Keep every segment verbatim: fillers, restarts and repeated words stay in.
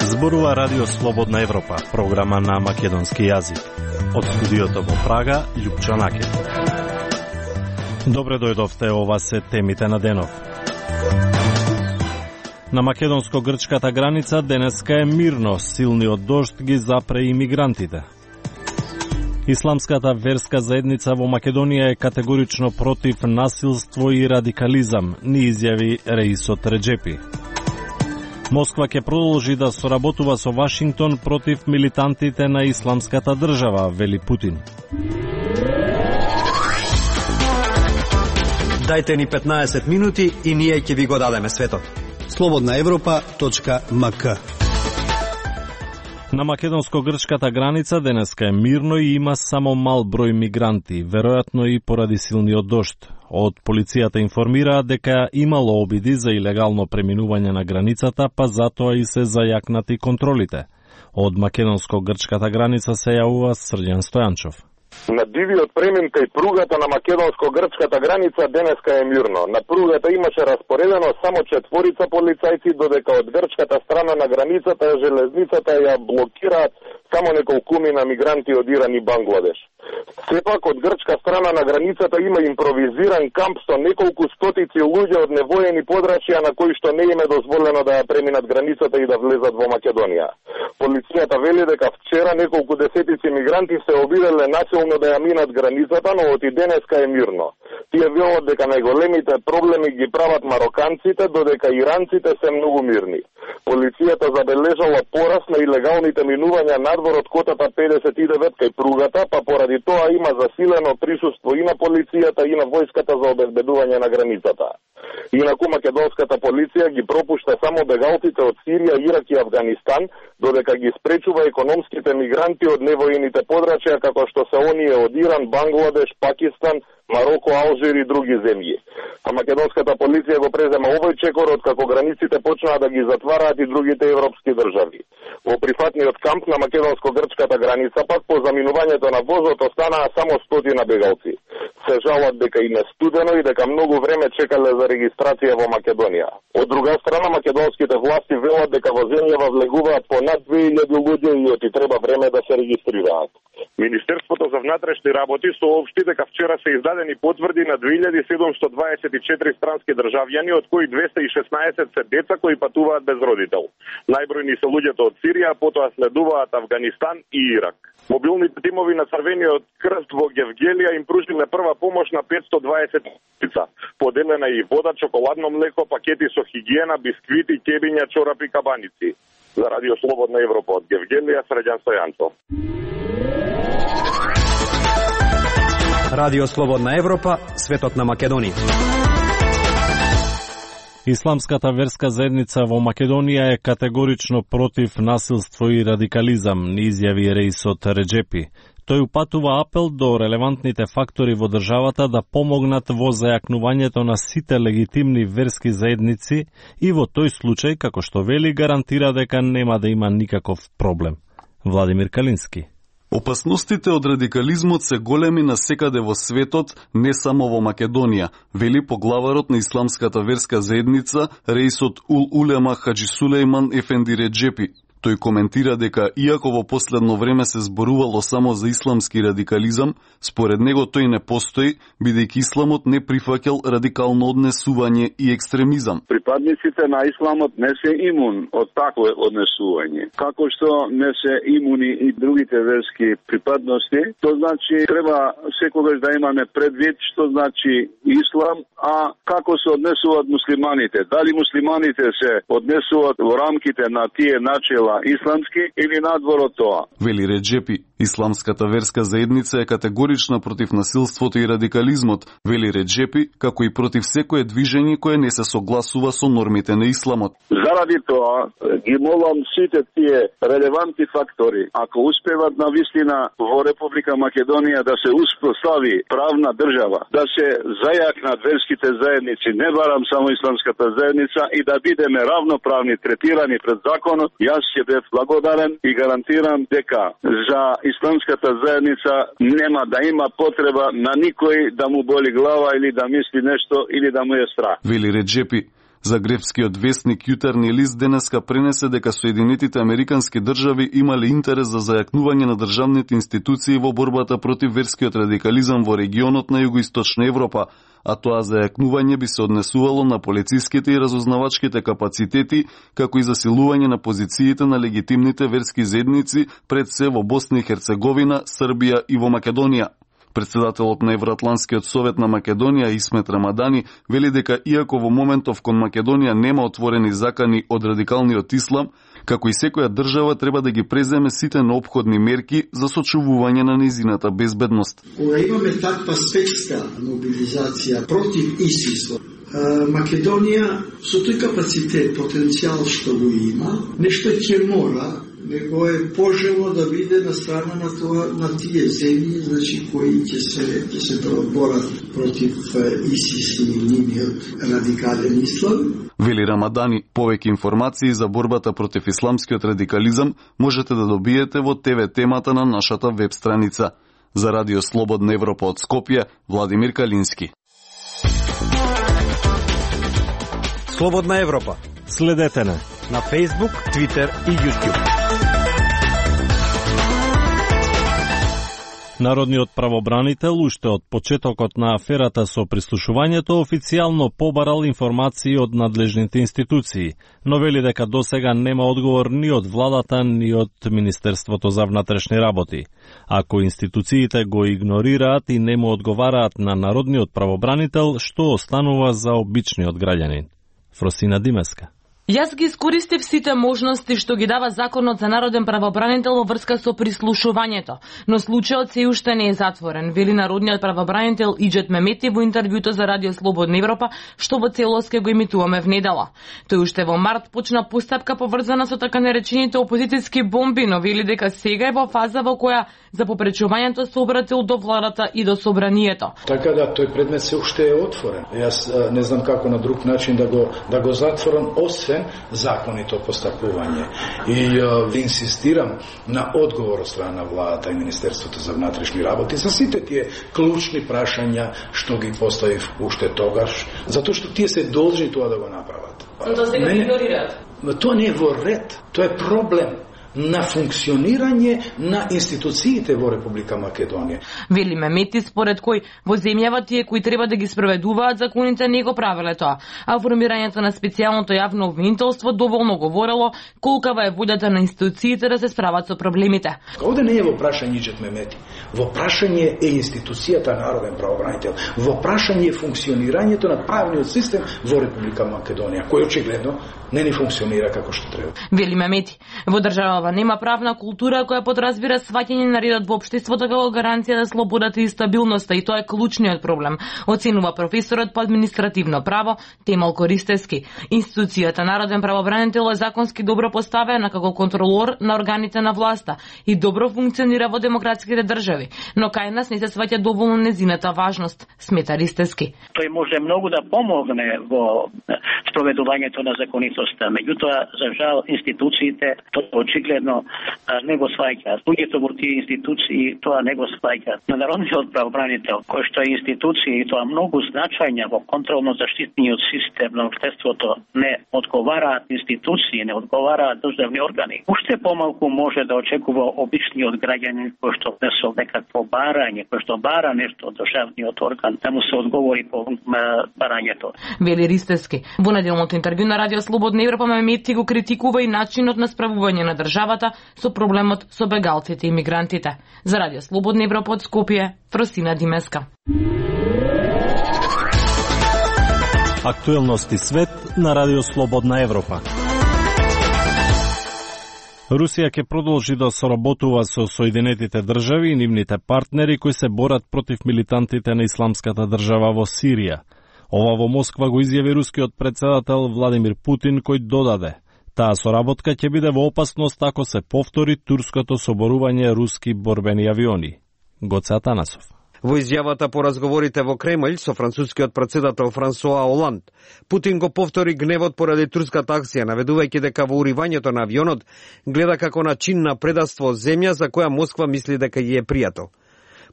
Зборува Радио Слободна Европа, програма на македонски јазик. Од студиото во Прага, Љупчо Накет. Добре дојдовте, ова се темите на денов. На македонско-грчката граница денеска е мирно, силниот дожд ги запре имигрантите. Исламската верска заедница во Македонија е категорично против насилство и радикализам, ни изјави Реисот Реджепи. Москва ќе продолжи да соработува со Вашингтон против милитантите на Исламската држава, вели Путин. Дајте ни петнаесет минути и ние ќе ви го дадеме светот. слободна европа точка ем ка. На македонско-грчката граница денеска е мирно и има само мал број мигранти, веројатно и поради силниот дожд. Од полицијата информираат дека имало обиди за илегално преминување на границата, па затоа и се зајакнати контролите. Од македонско-грчката граница се јавува Срđan Стојанчов. На дивиот премин кај пругата на македонско-грчката граница денеска е мирно. На пругата имаше распоредено само четворица полицајци, додека од грчката страна на границата железницата ја блокираат само неколкумина мигранти од Иран и Бангладеш. Сепак од грчка страна на границата има импровизиран камп со неколку стотици луѓе од невоени подрачја на кои што не им е дозволено да ја преминат границата и да влезат во Македонија. Полицијата вели дека вчера неколку десетици мигранти се обиделе насилно да ја минат границата, но од и денеска е мирно. Тие велат дека најголемите проблеми ги прават мароканците, додека иранците се многу мирни. Полицијата забележала порас на илегалните минувања надвор од котата педесет и девет кај пругата, па поради тоа има засилено присуство и на полицијата и на војската за обезбедување на границата. Инаку македонската полиција ги пропушта само бегалците од Сирија, Ирак и Авганистан, додека ги спречува економските мигранти од невоените подрачја како што се оние од Иран, Бангладеш, Пакистан, Мароко, Алжир и други земји. А македонската полиција го презема овој чекор откако границите почнаа да ги затвараат и другите европски држави. Во прифатниот камп на македонско-грчката граница пак по заминувањето на возот останаа само стотина бегалци. Се жалат дека им е студено и дека многу време чекале за регистрација во Македонија. Од друга страна, македонските власти велат дека во земјава влегуваат по над две илјади луѓе и оти треба време да се регистрираат. Министерството за внатрешни работи соопшти дека вчера се издадени потврди на две илјади седумстотини дваесет и четири странски државјани, од кои двеста и шеснаесет се деца кои патуваат без родител. Најбројни се луѓето од Сирија, потоа следуваат Авганистан и Ирак. Мобилните тимови на Црвениот крст во Гевгелија им пружиле прва помош на петстотини и дваесет лица. Поделена и вода, чоколадно млеко, пакети со хигиена, бисквити, кебиња, чорапи, кабаници. За Радио Слободна Европа од Гевгелија, Срđan Стојанчов. Радио Слободна Европа, светот на Македонија. Исламската верска заедница во Македонија е категорично против насилство и радикализам, ни изјави Реисот Реджепи. Тој упатува апел до релевантните фактори во државата да помогнат во зајакнувањето на сите легитимни верски заедници и во тој случај, како што вели, гарантира дека нема да има никаков проблем. Владимир Калински. Опасностите од радикализмот се големи насекаде во светот, не само во Македонија, вели поглаварот на Исламската верска заедница, Реисот Ул Улема Хаджи Сулејман Ефенди Реджепи. Тој коментира дека, иако во последно време се зборувало само за исламски радикализам, според него тој не постои, бидејќи исламот не прифаќал радикално однесување и екстремизам. Припадниците на исламот не се имун од такво однесување. Како што не се имуни и другите верски припадности, то значи треба секогаш да имаме предвид што значи ислам, а како се однесуваат муслиманите. Дали муслиманите се однесуваат во рамките на тие начела исламски или надвор од тоа. Вели Реджепи, Исламската верска заедница е категорична против насилството и радикализмот, вели Реджепи, како и против секое движење кое не се согласува со нормите на исламот. Заради тоа, ги молам сите тие релевантни фактори, ако успеват на вистина во Република Македонија да се успостави правна држава, да се зајакнат верските заедници, не барам само Исламската заедница, и да бидеме равноправни, третирани пред законот, јас ќе бев благодарен и гарантирам дека за исламската заедница нема да има потреба на никој да му боли глава или да мисли нешто или да му е страх. Вели Реджепи. Загребскиот вестник Јутрени лист денеска пренесе дека Соединетите Американски држави имале интерес за зајакнување на државните институции во борбата против верскиот радикализам во регионот на Југоисточна Европа, а тоа зајакнување би се однесувало на полициските и разузнавачките капацитети, како и засилување на позициите на легитимните верски заедници пред се во Босна и Херцеговина, Србија и во Македонија. Председателот на Евроатлантскиот совет на Македонија Исмет Рамадани вели дека иако во моментов кон Македонија нема отворени закани од радикалниот ислам, како и секоја држава треба да ги преземе сите неопходни мерки за сочувување на нејзината безбедност. Кога имаме таква светска мобилизација против ИСИС, Македонија со тој капацитет, потенцијал што го има, нешто ќе мора, него е пожелно да биде на страна на тоа, на тие земји, значи кои ќе се ќе се борат против ИСИС и нивниот радикален ислам. Вели Рамадани, повеќе информации за борбата против исламскиот радикализам можете да добиете во те ве темата на нашата веб страница. За Радио Слободна Европа од Скопје, Владимир Калински. Слободна Европа. Следете на на Facebook, Twitter и YouTube. Народниот правобранител уште од почетокот на аферата со прислушувањето официјално побарал информации од надлежните институции, но вели дека досега нема одговор ни од владата, ни од Министерството за внатрешни работи. Ако институциите го игнорираат и не му одговараат на народниот правобранител, што останува за обичниот граѓанин? Фросина Димеска. Јас ги искористив сите можности што ги дава Законот за народен правобранител во врска со прислушувањето, но случајот се уште не е затворен, вели народниот правобранител Иџет Мемети во интервјуто за Радио Слободна Европа, што во целост ке го емитуваме внедела. Тој уште во март почна постапка поврзана со така наречените опозицијски бомби, но вели дека сега е во фаза во која за попречувањето се обратил до владата и до собранието. Така да тој предмет се уште е отворен. Јас не знам како на друг начин да го да го затворам, освен законито постапување. И uh, инсистирам на одговор од страна на владата и Министерството за внатрешни работи за сите тие клучни прашања што ги поставив уште тогаш, затоа што тие се должни тоа да го направат. Тоа сега не игнорираат. Тоа не е во ред, тоа е проблем на функционирање на институциите во Република Македонија. Вели Мемети, според кој во земјава тие кои треба да ги спроведуваат законите не го правеле тоа, а формирањето на специјалното јавно обвинителство доволно говорело колкава е волјата на институциите да се справат со проблемите. Овде не е во прашање Иџет Мемети, во прашање е институцијата народен правобранител, во прашање е функционирањето на правниот систем во Република Македонија, кој очигледно не ни функционира како што треба. Вели Мемети, во држава нема правна култура која подразбира сваќање на редот во општеството како гаранција за слободата и стабилноста, и тоа е клучниот проблем, оценува професорот по административно право Темал Користевски. Институцијата народен правобранител е законски добро поставена како контролор на органите на власта и добро функционира во демократските држави, но кај нас не се сваќа доволно незината важност, смета Ристевски. Тој може многу да помогне во спроведувањето на законитоста, меѓутоа за жал институциите тоа очигледно не го сваќаат. Луѓето во тие институции тоа не го сваќаат. На народниот правобранител, кој што е институција и тоа многу значајна во контролно-заштитниот систем на општеството, не одговараат институции, не одговараат државни органи. Уште помалку може да очекува обичниот граѓанин кој што не со некакво барање, кој што бара нешто од државниот орган, да му се одговори по барањето. Вели Ристевски. Во неделното интервју на Радио Слободна Европа Мемети го критикува и начинот на справување на државата со проблемот со бегалците и мигрантите. За Радио Слободна Европа од Скопје, Фросина Димеска. Актуелности свет на Радио Слободна Европа. Русија ќе продолжи да соработува со Соединетите држави и нивните партнери кои се борат против милитантите на Исламската држава во Сирија. Ова во Москва го изјави рускиот председател Владимир Путин, кој додаде: таа соработка ќе биде во опасност ако се повтори турското соборување руски борбени авиони. Гоце Атанасов. Во изјавата по разговорите во Кремљ со францускиот претседател Франсоа Оланд, Путин го повтори гневот поради турската акција, наведувајќи дека во уривањето на авионот гледа како на чин на предавство земја за која Москва мисли дека ја е пријател.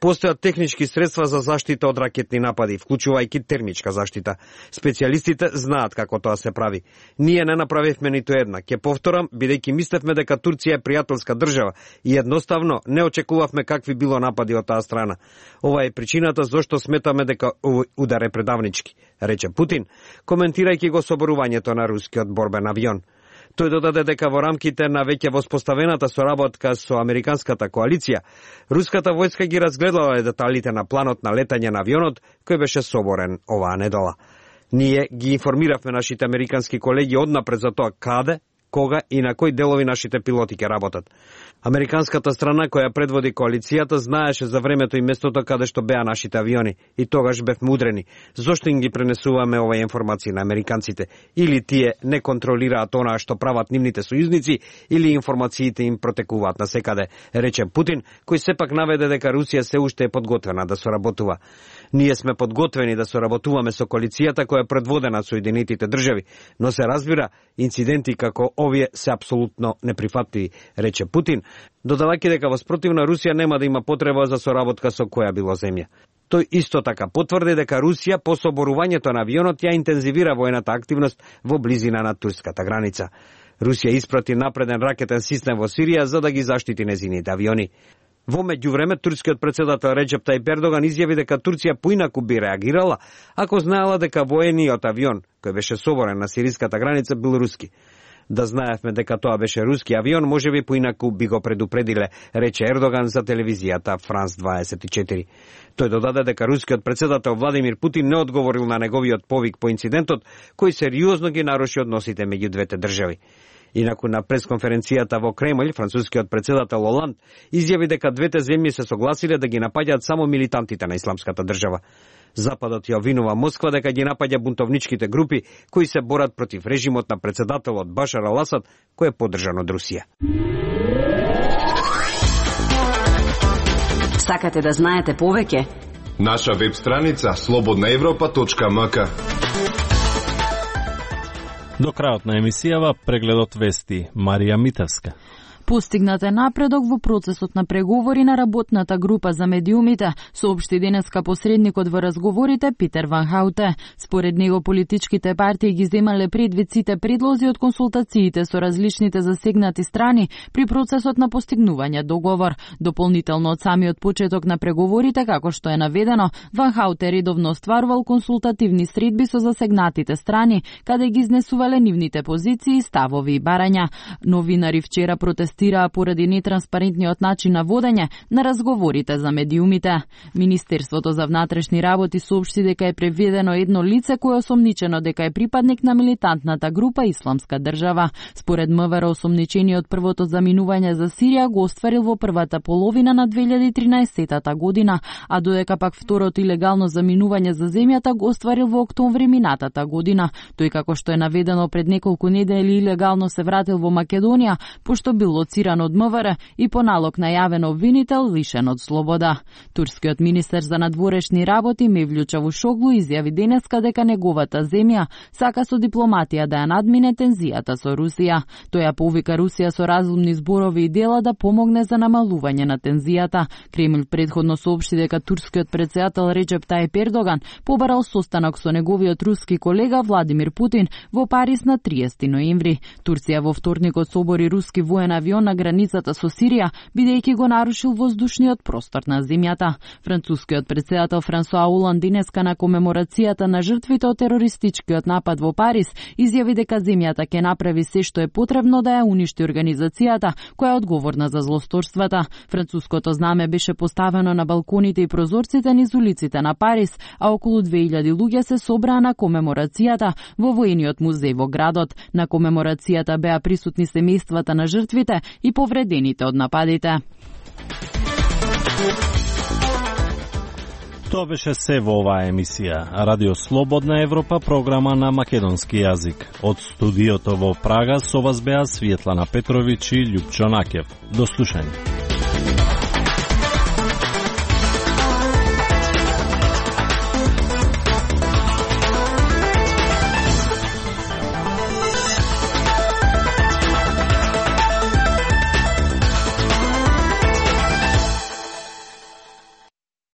Постојат технички средства за заштита од ракетни напади, вклучувајќи термичка заштита. Специјалистите знаат како тоа се прави. Ние не направивме ниту една. Ќе повторам, бидејќи мислевме дека Турција е пријателска држава и едноставно не очекувавме какви било напади од таа страна. Ова е причината зошто сметаме дека овој удар е предавнички, рече Путин, коментирајќи го соборувањето на рускиот борбен авион. Тој додаде дека во рамките на веќе воспоставената соработка со американската коалиција, руската војска ги разгледала деталите на планот на летање на авионот кој беше соборен оваа недела. Ние ги информиравме нашите американски колеги однапред за тоа каде, кога и на кои делови нашите пилоти ќе работат. Американската страна која предводи коалицијата знаеше за времето и местото каде што беа нашите авиони и тогаш бевме удрени. Зошто им ги пренесуваме оваа информации на американците? Или тие не контролираат онаа што прават нивните сојузници, или информациите им протекуваат насекаде, рече Путин, кој сепак наведе дека Русија се уште е подготвена да соработува. Ние сме подготвени да соработуваме со коалицијата која е предводена од Соединетите држави, но се разбира, инциденти како овие се апсолутно неприфатливи, рече Путин, додавајќи дека во спротив на Русија нема да има потреба за соработка со која било земја. Тој исто така потврди дека Русија по соборувањето на авионот ја интензивира воената активност во близина на турската граница. Русија испрати напреден ракетен систем во Сирија за да ги заштити незините авиони. Во меѓувреме, турскиот претседател Реджеп Тајип Ердоган изјави дека Турција поинаку би реагирала ако знаела дека воениот авион кој беше соборен на сириската граница бил руски. Да знаевме дека тоа беше руски авион, можеби поинаку би го предупредиле, рече Ердоган за телевизијата Франс дваесет и четири. Тој додаде дека рускиот претседател Владимир Путин не одговорил на неговиот повик по инцидентот, кој сериозно ги наруши односите меѓу двете држави. Инаку на пресконференцијата во Кремљ, францускиот претседател Оланд изјави дека двете земји се согласиле да ги напаѓаат само милитантите на исламската држава. Западот ја обвинува Москва дека ги напаѓа бунтовничките групи кои се борат против режимот на претседателот Башар ал-Асад, кој е поддржан од Русија. Сакате да знаете повеќе? Наша веб страница слободна европа точка ем ка. До крајот на емисијава прегледот вести Марија Митевска. Постигнат е напредок во процесот на преговори на работната група за медиумите, соопшти денеска посредникот во разговорите Питер Ван Хауте. Според него политичките партии ги земале предвид сите предлози од консултациите со различните засегнати страни при процесот на постигнување договор. Дополнително од самиот почеток на преговорите, како што е наведено, Ван Хауте редовно остварувал консултативни средби со засегнатите страни, каде ги изнесувале нивните позиции, ставови и барања. Новинари вчера протестирале поради нетранспарентниот начин на водење на разговорите за медиумите. Министерството за внатрешни работи соопшти дека е преведено едно лице кое е осомничено дека е припадник на милитантната група Исламска држава. Според МВР, осомничениот првото заминување за Сирија го остварил во првата половина на две илјади и тринаесетта година, а додека пак второто илегално заминување за земјата го остварил во октомври минатата година. Тој, како што е наведено, пред неколку недели илегално се вратил во Македонија, пошто бил лоциран од МВР и по налог најавен обвинител лишен од слобода. Турскиот министер за надворешни работи Мевлют Чавушоглу изјави денеска дека неговата земја сака со дипломатија да ја надмине тензијата со Русија. Тој ја повика Русија со разумни зборови и дела да помогне за намалување на тензијата. Кремљ претходно соопшти дека турскиот претседател Реджеп Тајип Ердоган побарал состанок со неговиот руски колега Владимир Путин во Париз на триесети ноември. Турција во вторникот собори руски воен авион на границата со Сирија, бидејќи го нарушил воздушниот простор на земјата. Францускиот претседател Франсоа Оланд денеска на комеморацијата на жртвите од терористичкиот напад во Париз изјави дека земјата ќе направи се што е потребно да ја уништи организацијата која е одговорна за злосторствата. Француското знаме беше поставено на балконите и прозорците низ улиците на Париз, а околу две илјади луѓе се собраа на комеморацијата во воениот музеј во градот. На комеморацијата беа присутни семејствата на жртвите и повредените од нападите. Тоа беше се во оваа емисија. Радио Слободна Европа, програма на македонски јазик. Од студиото во Прага со вас беа Светлана Петровиќ и Љупчо Накев. До слушање.